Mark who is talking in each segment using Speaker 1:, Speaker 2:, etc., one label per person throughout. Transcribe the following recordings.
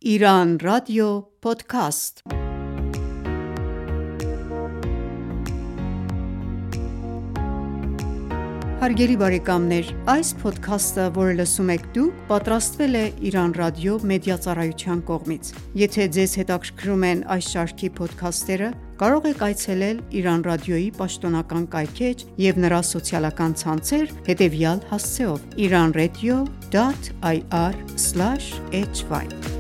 Speaker 1: Iran Radio Podcast։ Հարգելի բարեկամներ, այս փոդքասթը, որը լսում եք դուք, պատրաստվել է Iran Radio մեդիա ծառայության կողմից։ Եթե ձեզ հետաքրքրում են այս շարքի փոդքասթերը, կարող եք այցելել Iran Radio-ի պաշտոնական կայքէջ և նրա սոցիալական ցանցեր հետևյալ հասցեով՝ iranradio.ir/hy: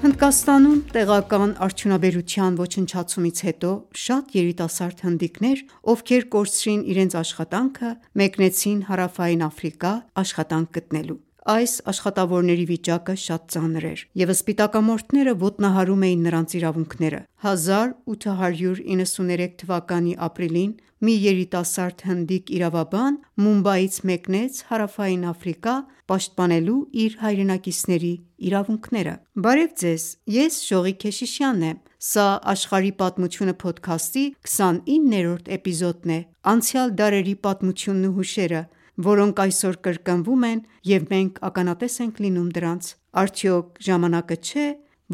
Speaker 1: Հնդկաստանում տեղական արդյունաբերության ոչնչացումից հետո շատ երիտասարդ հնդիկներ, ովքեր կորցրին իրենց աշխատանքը, մեկնեցին Հարավային Աֆրիկա աշխատանք գտնելու։ Այս աշխատավորների վիճակը շատ ծանր էր, և սպիտակամորթները ոտնահարում էին նրանց իրավունքները։ 1893 թվականի ապրիլին մի երիտասարդ հնդիկ իրավաբան Մումբայից մեկնեց Հարավային Աֆրիկա՝ պաշտպանելու իր հայրենակիցների իրավունքները։ Բարև ձեզ, ես Ժողիկ Քեշիշյանն եմ։ Սա «Աշխարհի պատմությունը» փոդքասթի 29-րդ էպիզոդն է։ Անցյալ դարերի պատմությունն ու հուշերը, որոնք այսօր կրկնվում են, և մենք ականատես ենք լինում դրանց։ Արդյոք ժամանակը չէ՞,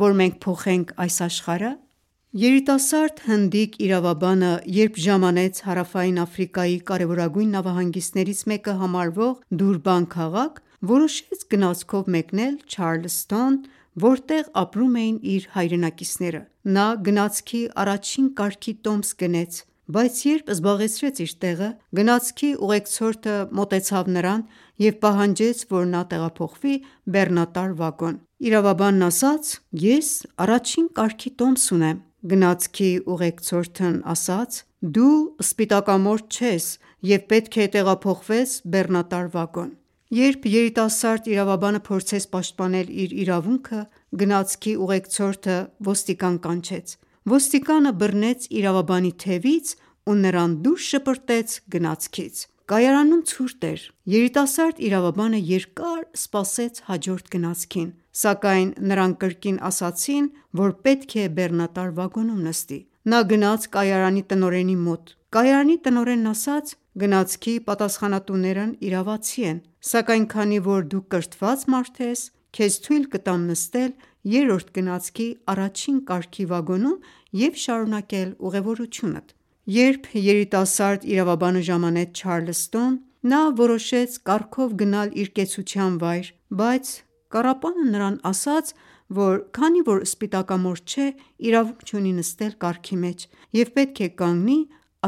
Speaker 1: որ մենք փոխենք այս աշխարհը։ Երիտասարդ հնդիկ իրավաբանը, երբ ժամանեց Հարավային Աֆրիկայի կարևորագույն նավահանգիստներից մեկը համարվող Դուրբան քաղաք, որոշեց գնացքով մեկնել Չարլսթոն, որտեղ ապրում էին իր հայրենակիցները։ Նա գնացքի առաջին կարգի տոմս գնեց, բայց երբ զբաղեցրեց իր տեղը, գնացքի ուղեկցորդը մոտեցավ նրան և պահանջեց, որ նա տեղափոխվի բեռնատար վագոն։ Իրավաբանն ասաց. «Ես առաջին կարգի տոմս ունեմ»։ Գնացքի ուղեկցորդն ասաց. «Դու սպիտակամորթ չես և պետք է տեղափոխվես բեռնատար վագոն»։ Երբ երիտասարդ իրավաբանը փորձեց պաշտպանել իր իրավունքը, գնացքի ուղեկցորդը ոստիկան կանչեց։ Ոստիկանը բռնեց իրավաբանի թևից ու նրան դուրս շպրտեց գնացքից։ Կայարանում ցուրտ էր։ Երիտասարդ իրավաբանը երկար սպասեց հաջորդ գնացքին, սակայն նրան կրկին ասացին, որ պետք է բեռնատար վագոնում նստի։ Նա գնաց կայարանի տնօրենի մոտ։ Կայարանի տնօրենն ասաց. «Գնացքի պատասխանատուներն իրավացի են, սակայն քանի որ դու կրթված մարդ ես, քեզ թույլ կտամ նստել երրորդ գնացքի առաջին կարգի վագոնում և շարունակել ուղևորությունդ»։ Երբ երիտասարդ իրավաբանը ժամանեց Չարլսթոն, նա որոշեց կառքով գնալ իր կեցության վայր, բայց կառապանը նրան ասաց, որ քանի որ սպիտակամորթ չէ, իրավունք չունի նստել կառքի մեջ և պետք է կանգնի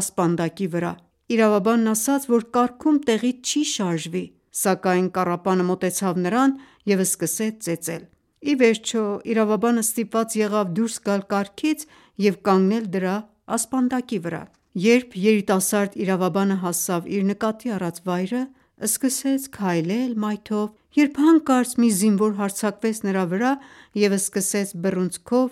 Speaker 1: ասպանդակի վրա։ Իրավաբանն ասաց, որ կառքում տեղից չի շարժվի, սակայն կառապանը մոտեցավ նրան և սկսեց ծեծել։ Ի վերջո իրավաբանը ստիպված եղավ դուրս գալ կառքից և կանգնել դրա ասպանդակի վրա։ Երբ երիտասարդ իրավաբանը հասավ իր նկատի առած վայրը, սկսեց քայլել մայթով, երբ հանկարծ մի զինվոր հարձակվեց նրա վրա և սկսեց բռունցքով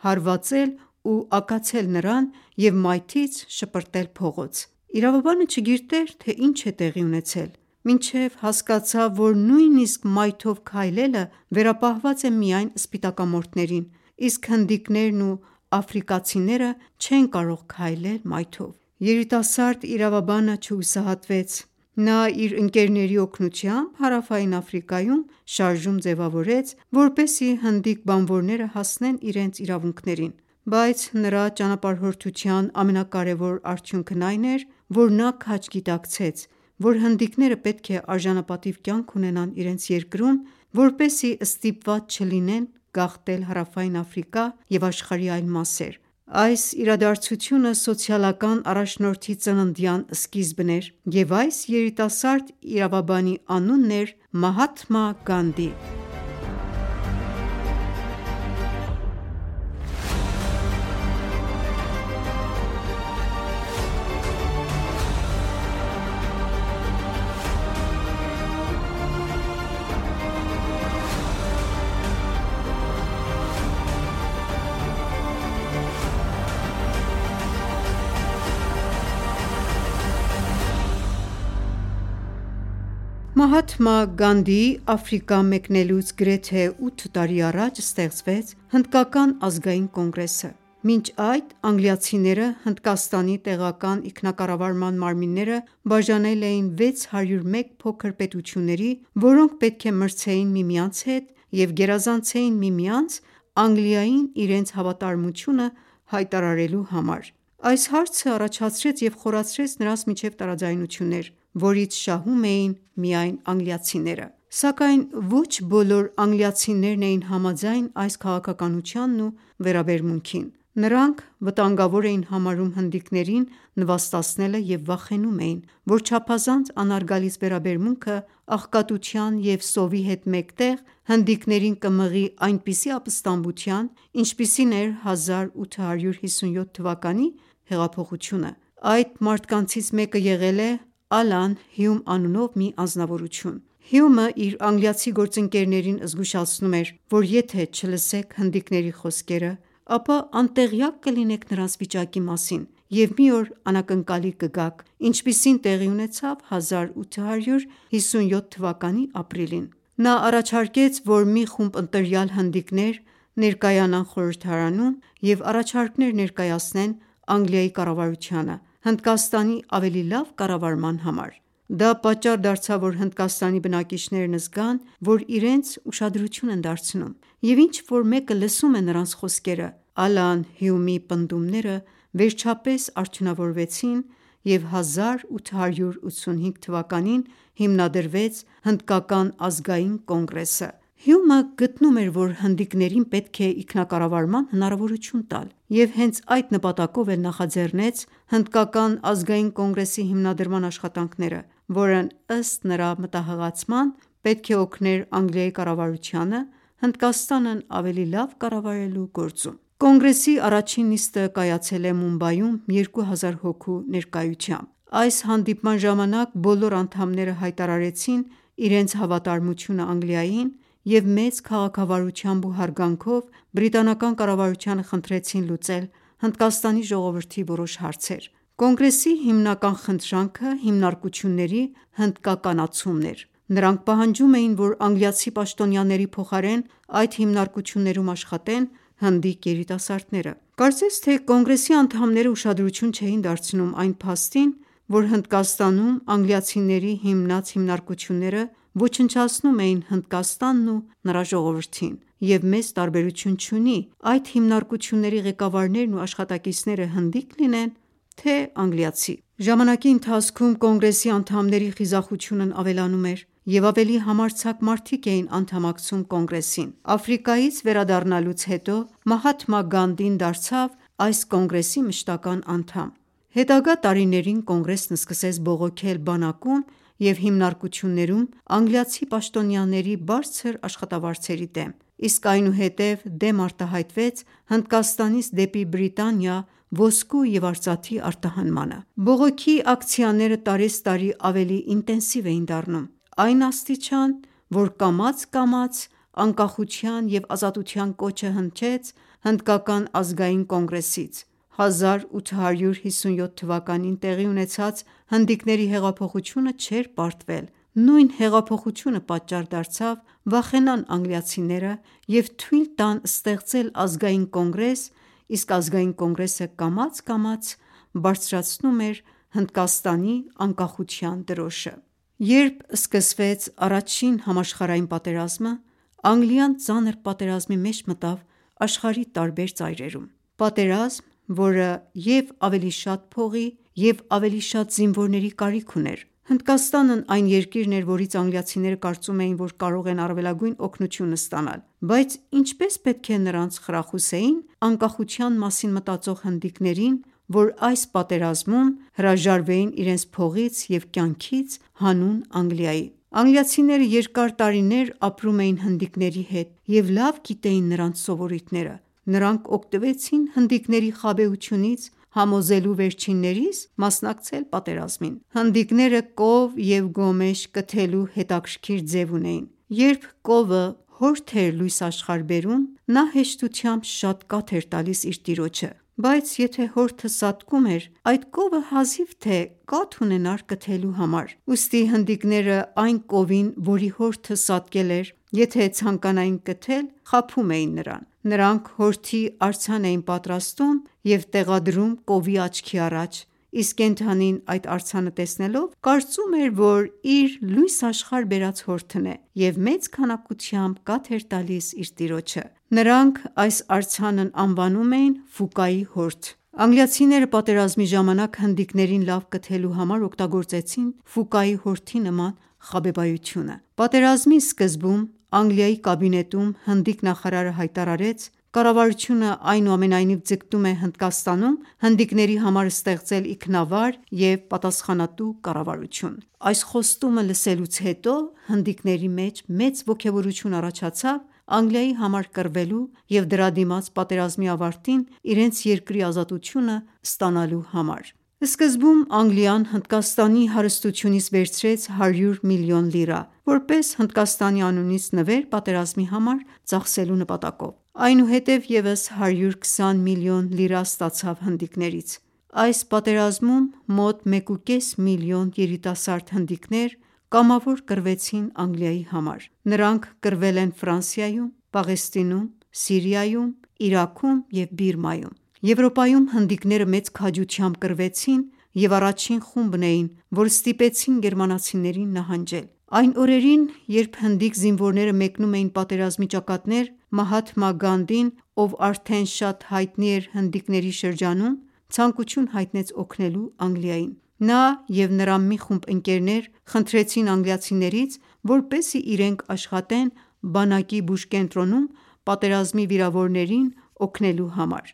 Speaker 1: հարվածել ու ակացել նրան և մայթից շպրտել փողոց։ Իրավաբանը չգիտեր, թե ինչ է տեղի ունեցել, մինչև հասկացավ, որ նույնիսկ մայթով քայլելը վերապահված է միայն սպիտակամորթներին, իսկ հնդիկներն ու աֆրիկացիները չեն կարող քայլել մայթով։ Երիտասարդ իրավաբանը չհուսահատվեց։ Նա իր ընկերների օգնությամբ Հարավային Աֆրիկայում շարժում ձևավորեց, որպեսզի հնդիկ բանվորները հասնեն իրենց իրավունքներին։ Բայց նրա ճանապարհորդության ամենակարևոր արդյունքն այն էր, որ նա քաջ գիտակցեց, որ հնդիկները պետք է արժանապատիվ կյանք ունենան իրենց երկրում, որպեսզի ստիպված չլինեն գաղթել Հարավային Աֆրիկա և աշխարհի այլ մասեր։ Այս իրադարձությունը սոցիալական առաջնորդի ծննդյան սկիզբն էր, և այս երիտասարդ իրավաբանի անունն էր Մահաթմա Գանդի։ Մահաթմա Գանդիի Աֆրիկա մեկնելուց գրեթե 8 տարի առաջ ստեղծվեց Հնդկական ազգային կոնգրեսը։ Մինչ այդ անգլիացիները Հնդկաստանի տեղական ինքնակառավարման մարմինները բաժանել էին 601 փոքր պետությունների, որոնք պետք է մրցեին միմյանց հետ և գերազանցեին միմյանց Անգլիային իրենց հավատարմությունը հայտարարելու համար: Այս հարցը առաջացրեց և խորացրեց նրանց միջև տարաձայնություններ, որից շահում էին միայն անգլիացիները: Սակայն ոչ բոլոր անգլիացիներն էին համաձայն այս քաղաքականությանն ու վերաբերմունքին: Նրանք վտանգավոր էին համարում հնդիկներին նվաստացնելը և վախենում էին, որ չափազանց անհարգալից վերաբերմունքը աղքատության և սովի հետ մեկտեղ հնդիկներին կմղի այնպիսի ապստամբության, ինչպիսին էր 1857 թվականի հեղափոխությունը: Այդ մարդկանցից մեկը եղել է Ալան Հյում անունով մի անձնավորություն: Հյումը իր անգլիացի գործընկերներին զգուշացնում էր, որ եթե չլսեք հնդիկների խոսքերը, ապա անտեղյակ կլինեք նրանց վիճակի մասին և մի օր անակնկալի կգաք, ինչպիսին տեղի ունեցավ 1857 թվականի ապրիլին: Նա առաջարկեց, որ մի խումբ ընտրյալ հնդիկներ ներկայանան խորհրդարանում և առաջարկներ ներկայացնեն Անգլիայի կառավարությանը Հնդկաստանի ավելի լավ կառավարման համար: Դա պատճառ դարձավ, որ Հնդկաստանի բնակիչներն զգան, որ իրենց ուշադրություն են դարձնում և ինչ-որ մեկը լսում է նրանց խոսքերը: Ալան Հյումի պնդումները վերջապես արդյունավորվեցին և 1885 թվականին հիմնադրվեց Հնդկական ազգային կոնգրեսը: Հյումը գտնում էր, որ հնդիկներին պետք է ինքնակառավարման հնարավորություն տալ և հենց այդ նպատակով էլ նախաձեռնեց Հնդկական ազգային կոնգրեսի հիմնադրման աշխատանքները, որն ըստ նրա մտահղացման պետք է օգներ Անգլիայի կառավարությանը Հնդկաստանն ավելի լավ կառավարելու գործում: Կոնգրեսի առաջին նիստը կայացել է Մումբայում 2000 հոգու ներկայությամբ: Այս հանդիպման ժամանակ բոլոր անդամները հայտարարեցին իրենց հավատարմությունը Անգլիային և մեծ քաղաքավարությամբ ու հարգանքով բրիտանական կառավարությանը խնդրեցին լուծել Հնդկաստանի ժողովրդի որոշ հարցեր: Կոնգրեսի հիմնական խնդրանքը հիմնարկությունների հնդկականացումն էր: Նրանք պահանջում էին, որ անգլիացի պաշտոնյաների փոխարեն այդ հիմնարկություններում աշխատեն հնդիկ երիտասարդները: Կարծես թե կոնգրեսի անդամները ուշադրություն չէին դարձնում այն փաստին, որ Հնդկաստանում անգլիացիների հիմնած հիմնարկությունները ոչնչացնում էին Հնդկաստանն ու նրա ժողովրդին և մեծ տարբերություն չունի այդ հիմնարկությունների ղեկավարներն ու աշխատակիցները հնդիկ լինեն թե անգլիացի: Ժամանակի ընթացքում կոնգրեսի անդամների խիզախությունն ավելանում էր և ավելի համարձակ մարդիկ էին անդամակցում կոնգրեսին: Աֆրիկայից վերադառնալուց հետո Մահաթմա Գանդին դարձավ այս կոնգրեսի մշտական անդամ: Հետագա տարիներին կոնգրեսն սկսեց բողոքել բանակում և հիմնարկություններում անգլիացի պաշտոնյաների բարձր աշխատավարձերի դեմ, իսկ այնուհետև դեմ արտահայտվեց Հնդկաստանից դեպի Բրիտանիա ոսկու և արծաթի արտահանմանը: Բողոքի ակցիաները տարեցտարի ավելի ինտենսիվ էին դառնում, այն աստիճան, որ կամաց-կամաց անկախության և ազատության կոչը հնչեց Հնդկական ազգային կոնգրեսից: 1857 թվականին տեղի ունեցած հնդիկների հեղափոխությունը չէր պարտվել: Նույն հեղափոխությունը պատճառ դարձավ վախենան անգլիացիները և թույլ տան ստեղծել ազգային կոնգրես, իսկ ազգային կոնգրեսը կամաց-կամաց բարձրացնում էր Հնդկաստանի անկախության դրոշը: Երբ սկսվեց առաջին համաշխարհային պատերազմը, Անգլիան ծանր պատերազմի մեջ մտավ աշխարհի տարբեր ծայրերում: Պատերազմ, որը և ավելի շատ փողի և ավելի շատ զինվորների կարիք ուներ: Հնդկաստանն այն երկիրն էր, որից անգլիացիները կարծում էին, որ կարող են առավելագույն օգնությունը ստանալ: Բայց ինչպե՞ս պետք է նրանց խրախուսեին անկախության մասին մտածող հնդիկներին, որ այս պատերազմում հրաժարվեին իրենց փողից և կյանքից հանուն Անգլիայի: Անգլիացիները երկար տարիներ ապրում էին հնդիկների հետ և լավ գիտեին նրանց սովորույթները: Նրանք օգտվեցին հնդիկների խաբեությունից համոզելու վերջիններիս մասնակցել պատերազմին: Հնդիկները կով և գոմեշ կթելու հետաքրքիր ձև ունեին: Երբ կովը հորթ էր լույս աշխարհ բերում, նա հեշտությամբ շատ կաթ էր տալիս իր տիրոջը: Բայց եթե հորթը սատկում էր, այդ կովը հազիվ թե կաթ ունենար կթելու համար: Ուստի հնդիկները այն կովին, որի հորթը սատկել էր, եթե ցանկանային կթել, խաբում էին նրան: Նրանք հորթի արձան էին պատրաստում և տեղադրում կովի աչքի առաջ, իսկ կենդանին այդ արձանը տեսնելով կարծում էր, որ իր լույս աշխարհ բերած հորթն է և մեծ քանակությամբ կաթ էր տալիս իր տիրոջը: Նրանք այս արձանն անվանում էին Ֆուկայի հորթ: Անգլիացիները պատերազմի ժամանակ հնդիկներին լավ կթելու համար օգտագործեցին Ֆուկայի հորթի նման խաբեբայությունը: Պատերազմի սկզբում Անգլիայի կաբինետում հնդիկ նախարարը հայտարարեց. «Կառավարությունը այնուամենայնիվ ձգտում է Հնդկաստանում հնդիկների համար ստեղծել ինքնավար և պատասխանատու կառավարություն»: Այս խոստումը լսելուց հետո հնդիկների մեջ մեծ ոգևորություն առաջացավ Անգլիայի համար կռվելու և դրա դիմաց պատերազմի ավարտին իրենց երկրի ազատությունը ստանալու համար: Սկզբում Անգլիան Հնդկաստանի հարստությունից վերցրեց 100 միլիոն լիրա, որպես Հնդկաստանի անունից նվեր պատերազմի համար ծախսելու նպատակով: Այնուհետև ևս 120 միլիոն լիրա ստացավ հնդիկներից: Այս պատերազմում մոտ 1,5 միլիոն երիտասարդ հնդիկներ կամավոր կռվեցին Անգլիայի համար: Նրանք կռվել են Ֆրանսիայում, Պաղեստինում, Սիրիայում, Իրաքում և Բիրմայում: Եվրոպայում հնդիկները մեծ քաջությամբ կռվեցին և առաջին խումբն էին, որ ստիպեցին գերմանացիներին նահանջել: Այն օրերին, երբ հնդիկ զինվորները մեկնում էին պատերազմի ճակատներ, Մահաթմա Գանդին, ով արդեն շատ հայտնի էր հնդիկների շրջանում, ցանկություն հայտնեց օգնելու Անգլիային: Նա և նրա մի խումբ ընկերներ խնդրեցին անգլիացիներից, որպեսզի իրենք աշխատեն բանակի բուժկենտրոնում պատերազմի վիրավորներին օգնելու համար: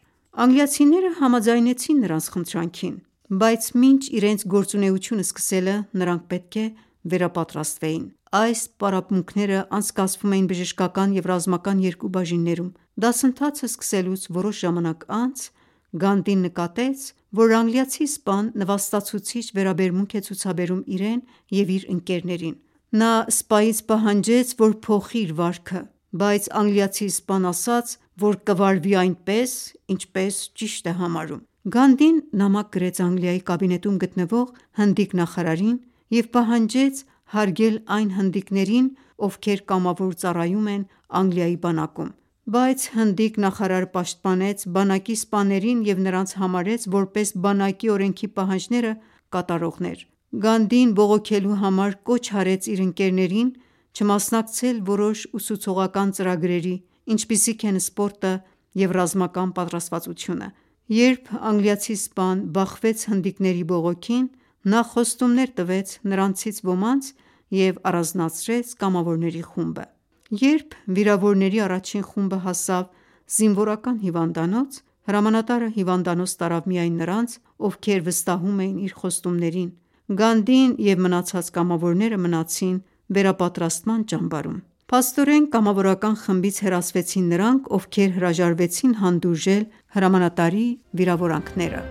Speaker 1: Անգլիացիները համաձայնեցին նրանց խնդրանքին, բայց մինչ իրենց գործունեությունը սկսելը նրանք պետք է վերապատրաստվեին: Այս պարապմունքները անցկացվում էին բժշկական և ռազմական երկու բաժիններում: Դասընթացը սկսելուց որոշ ժամանակ անց Գանդին նկատեց, որ անգլիացի սպան նվաստացուցիչ վերաբերմունք է ցուցաբերում իրեն և իր ընկերներին: Նա սպայից պահանջեց, որ փոխի իր վարքը, բայց անգլիացի սպան ասաց, որ կվարվի այնպես, ինչպես ճիշտ է համարում: Գանդին նամակ գրեց Անգլիայի կաբինետում գտնվող հնդիկ նախարարին և պահանջեց հարգել այն հնդիկներին, ովքեր կամավոր ծառայում են Անգլիայի բանակում: Բայց հնդիկ նախարարը պաշտպանեց բանակի սպաներին և նրանց համարեց որպես բանակի օրենքի պահանջները կատարողներ: Գանդին բողոքելու համար կոչ արեց իր ընկերներին չմասնակցել որոշ ուսուցողական ծրագրերի, ինչպիսիք են սպորտը և ռազմական պատրաստվածությունը: Երբ անգլիացի սպան բախվեց հնդիկների բողոքին, նա խոստումներ տվեց նրանցից ոմանց և առանձնացրեց կամավորների խումբը: Երբ վիրավորների առաջին խումբը հասավ զինվորական հիվանդանոց, հրամանատարը հիվանդանոց տարավ միայն նրանց, ովքեր վստահում էին իր խոստումներին: Գանդին և մնացած կամավորները մնացին վերապատրաստման ճամբարում: Փաստորեն կամավորական խմբից հեռացվեցին նրանք, ովքեր հրաժարվեցին հանդուրժել հրամանատարի վիրավորանքները: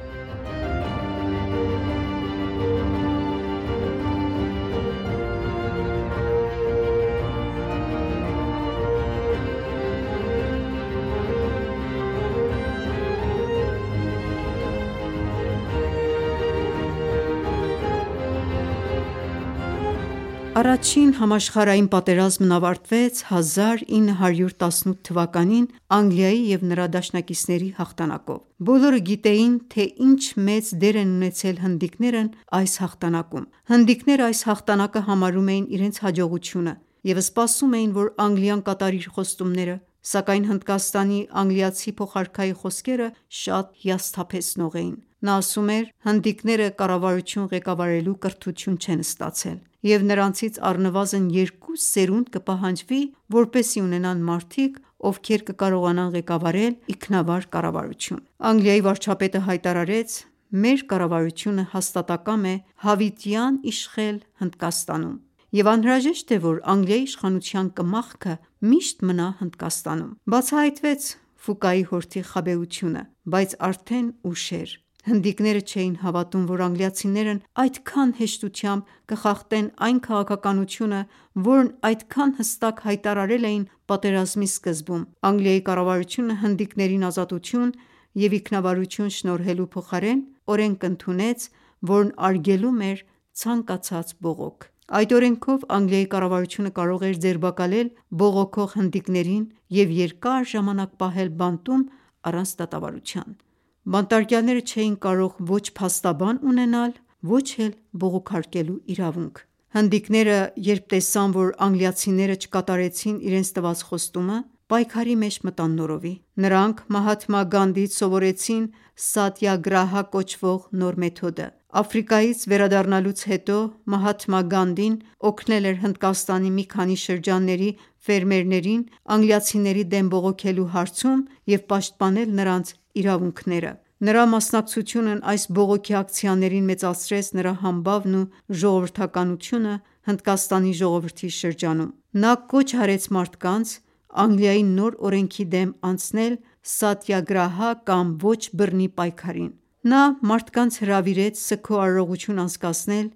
Speaker 1: Առաջին համաշխարհային պատերազմն ավարտվեց 1918 թվականին Անգլիայի և նրա դաշնակիցների հաղթանակով: Բոլորը գիտեին, թե ինչ մեծ դեր են ունեցել հնդիկներն այս հաղթանակում: Հնդիկները այս հաղթանակը համարում էին իրենց հաջողությունը և սպասում էին, որ Անգլիան կատարի իր խոստումները, սակայն Հնդկաստանի անգլիացի փոխարքայի խոսքերը շատ հիասթափեցնող էին: Նա ասում էր. «Հնդիկները կառավարություն ղեկավարելու կրթություն չեն ստացել և նրանցից առնվազն 2 սերունդ կպահանջվի, որպեսզի ունենան մարդիկ, ովքեր կկարողանան ղեկավարել ինքնավար կառավարություն»: Անգլիայի վարչապետը հայտարարեց. «Մեր կառավարությունը հաստատակամ է հավիտյան իշխել Հնդկաստանում և անհրաժեշտ է, որ Անգլիայի իշխանության կմախքը միշտ մնա Հնդկաստանում»: Բացահայտվեց Ֆուկայի հորթի խաբեությունը, բայց արդեն ուշ էր: Հնդիկները չէին հավատում, որ անգլիացիներն այդքան հեշտությամբ կխախտեն այն քաղաքականությունը, որն այդքան հստակ հայտարարել էին պատերազմի սկզբում: Անգլիայի կառավարությունը հնդիկներին ազատություն և ինքնավարություն շնորհելու փոխարեն օրենք ընդունեց, որն արգելում էր ցանկացած բողոք: Այդ օրենքով Անգլիայի կառավարությունը կարող էր ձերբակալել բողոքող հնդիկներին և երկար ժամանակ պահել բանտում առանց դատավարության։ Բանտարկյալները չէին կարող ոչ փաստաբան ունենալ, ոչ էլ բողոքարկելու իրավունք։ Հնդիկները, երբ տեսան, որ անգլիացիները չկատարեցին իրենց տված խոստումը, պայքարի մեջ մտան նորովի։ Նրանք Մահաթմա Գանդիից սովորեցին Սատյագրահա կոչվող նոր մեթոդը։ Աֆրիկայից վերադառնալուց հետո Մահաթմա Գանդին օգնել էր Հնդկաստանի մի քանի շրջանների ֆերմերներին անգլիացիների դեմ բողոքելու հարցում և պաշտպանել նրանց իրավունքները։ Նրա մասնակցությունն այս բողոքի ակցիաներին մեծացրեց նրա համբավն ու ժողովրդականությունը Հնդկաստանի ժողովրդի շրջանում։ Նա կոչ արեց մարդկանց Անգլիայի նոր օրենքի դեմ անցնել սատյագրահա կամ ոչ բռնի պայքարին։ Նա մարդկանց հրավիրեց սգո արարողություն անցկացնել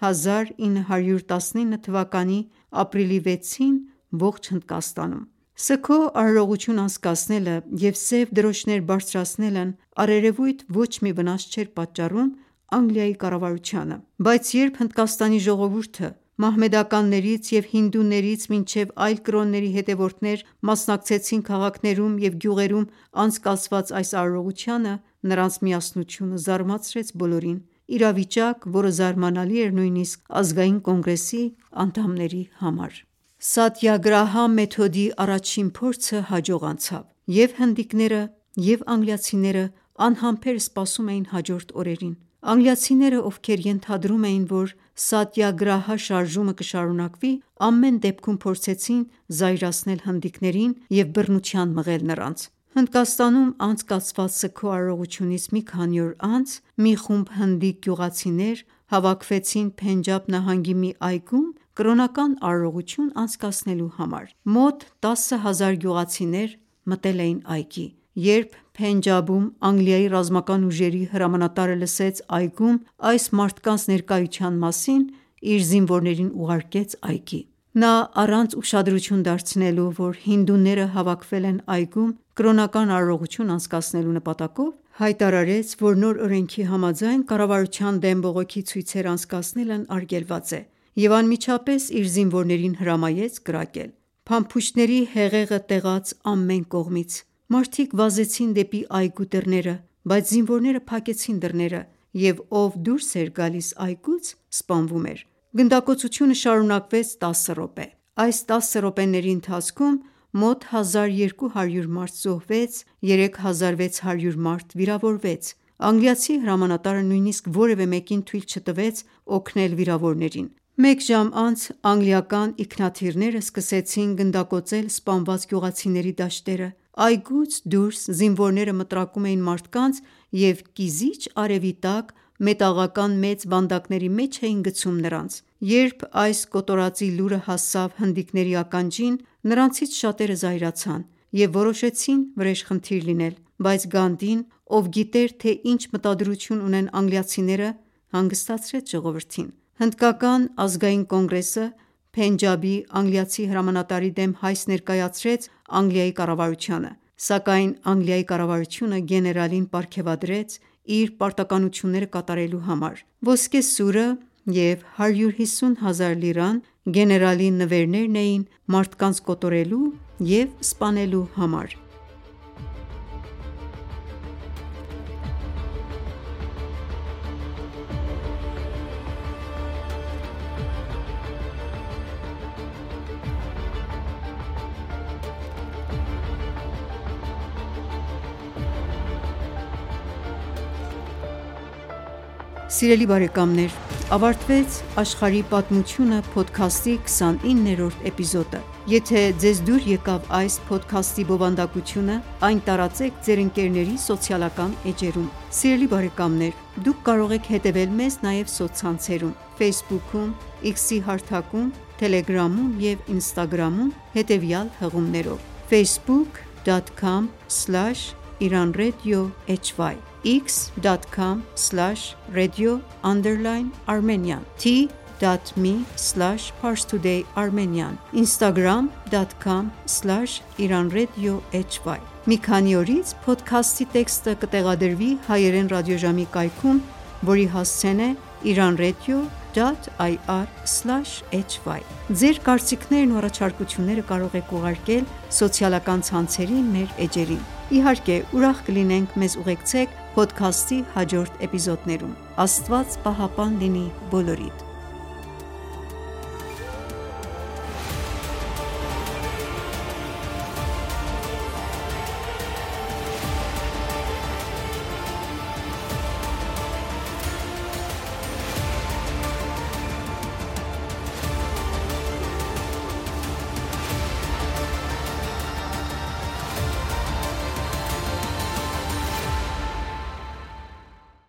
Speaker 1: 1919 թվականի ապրիլի 6-ին ողջ Հնդկաստանում։ Սգո արարողություն անցկացնելը և սև դրոշներ բարձրացնելն առերևույթ ոչ մի վնաս չէր պատճառում Անգլիայի կառավարությանը, բայց երբ Հնդկաստանի ժողովուրդը մահմեդականներից և հինդուներից մինչև այլ կրոնների հետևորդներ մասնակցեցին քաղաքներում և գյուղերում անցկացված այս արարողությանը, նրանց միասնությունը զարմացրեց բոլորին, իրավիճակ, որը զարմանալի էր նույնիսկ Ազգային կոնգրեսի անդամների համար։ Սատյագրահա մեթոդի առաջին փորձը հաջող անցավ, և հնդիկները, և անգլիացիները անհամբեր սպասում էին հաջորդ օրերին։ Անգլիացիները, ովքեր ենթադրում էին, որ սատյագրահա շարժումը կշարունակվի, ամեն դեպքում փորձեցին զայրացնել հնդիկներին և բռնության մղել նրանց։ Հնդկաստանում անցկացված սգո արարողությունից մի քանի օր անց մի խումբ հնդիկ գյուղացիներ հավաքվեցին Փենջաբ նահանգի մի այգում կրոնական արարողություն անցկացնելու համար։ Մոտ 10,000 գյուղացիներ մտել էին այգի։ Երբ Փենջաբում Անգլիայի ռազմական ուժերի հրամանատարը լսեց այգում այս մարդկանց ներկայության մասին, իր զինվորներին ուղարկեց այգի։ Նա առանց ուշադրություն դարձնելու, որ հինդուները հավաքվել են այգում կրոնական արարողություն անցկացնելու նպատակով, հայտարարեց, որ նոր օրենքի համաձայն կառավարության դեմ բողոքի ցույցեր անցկացնելն արգելված է և անմիջապես իր զինվորներին հրամայեց կրակել։ Փամփուշտների հեղեղը տեղաց ամեն կողմից։ Մարդիկ վազեցին դեպի այգու դռները, բայց զինվորները փակեցին դռները, և ով դուրս էր գալիս այգուց, սպանվում էր։ Գնդակոծությունը շարունակվեց 10 րոպե։ Այս 10 րոպեների ընթացքում մոտ 1200 մարդ զոհվեց, 3600 մարդ վիրավորվեց։ Անգլիացի հրամանատարը նույնիսկ որևէ մեկին թույլ չտվեց օգնել վիրավորներին։ Մեկ ժամ անց անգլիական ինքնաթիռները սկսեցին գնդակոծել սպանված գյուղացիների դաշտերը։ Այգուց դուրս զինվորները մտրակում էին մարդկանց և կիզիչ արևի տակ մետաղական մեծ վանդակների մեջ էին գցում նրանց։ Երբ այս կոտորածի լուրը հասավ հնդիկների ականջին, նրանցից շատերը զայրացան և որոշեցին վրեժխնդիր լինել, բայց Գանդին, ով գիտեր, թե ինչ մտադրություն ունեն անգլիացիները, հանգստացրեց ժողովրդին։ Հնդկական ազգային կոնգրեսը Փենջաբի անգլիացի հրամանատարի դեմ հայց ներկայացրեց Անգլիայի կառավարությանը, սակայն Անգլիայի կառավարությունը գեներալին պարգևատրեց իր պարտականությունները կատարելու համար։ Ոսկե սուրը և 150,000 լիրան գեներալի նվերներն էին մարդկանց կոտորելու և սպանելու համար։ Սիրելի բարեկամներ, ավարտվեց «Աշխարհի պատմությունը» փոդքասթի 29-րդ էպիզոդը։ Եթե ձեզ դուր եկավ այս փոդքասթի բովանդակությունը, այն տարածեք ձեր ընկերների սոցիալական էջերում։ Սիրելի բարեկամներ, դուք կարող եք հետևել մեզ նաև սոցցանցերում Facebook-ում, X-ի հարթակում, Telegram-ում և Instagram-ում հետևյալ հղումներով՝ facebook.com/iranradio_hy x.com/radio_armenian t.me/parstoday_armenian instagram.com/iranradio_hy Մի քանի օրից փոդքասթի տեքստը կտեղադրվի հայերեն ռադիոժամի կայքում, որի հասցեն է iranradio.ir www.ecom.ir/hy Ձեր կարծիքներն ու առաջարկությունները կարող եք ուղարկել սոցիալական ցանցերին մեր էջերին: Իհարկե ուրախ կլինենք մեզ ուղեկցեք փոդքասթի հաջորդ էպիզոդներում: Աստված պահապան լինի բոլորիդ: